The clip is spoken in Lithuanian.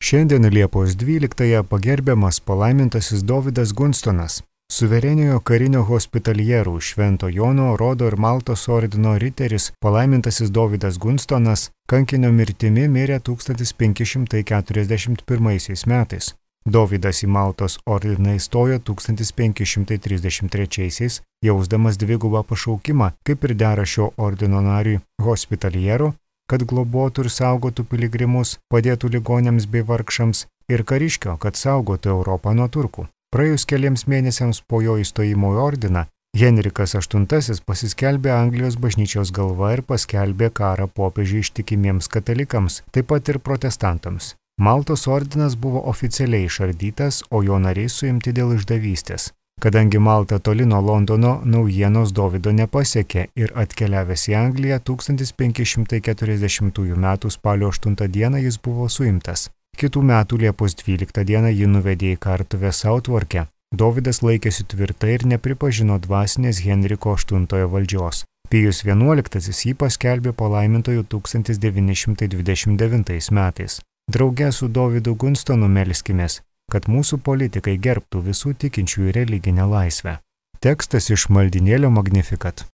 Šiandien Liepos 12-ąją pagerbiamas palaimintasis Dovydas Gunstonas, suvereniojo karinio hospitalierų Švento Jono, Rodo ir Maltos ordino riteris palaimintasis Dovydas Gunstonas kankinio mirtimi mirė 1541 metais. Dovydas į Maltos ordiną įstojo 1533, jausdamas dvigubą pašaukimą, kaip ir dera šio ordino nariui hospitaliero, kad globotų ir saugotų piligrimus, padėtų ligoniams bei vargšams, ir kariškio, kad saugotų Europą nuo turkų. Praėjus keliems mėnesiams po jo įstojimo į ordiną, Henrikas VIII pasiskelbė Anglijos bažnyčios galva ir paskelbė karą popiežiui ištikimiems katalikams, taip pat ir protestantams. Maltos ordinas buvo oficialiai išardytas, o jo nariai suimti dėl išdavystės. Kadangi Malta toli nuo Londono, naujienos Dovydo nepasiekė ir atkeliavęs į Angliją 1540 m. spalio 8 d. jis buvo suimtas. Kitų metų Liepos 12 d. jį nuvedė į kartuvę Southwarke. Dovydas laikėsi tvirtai ir nepripažino dvasinės Henriko VIII valdžios. Pijus XI jį paskelbė palaimintoju 1929 metais. Drauge su Dovydu Gunstonu melskimės, kad mūsų politikai gerbtų visų tikinčiųjų religinę laisvę. Tekstas iš maldynėlio Magnificat.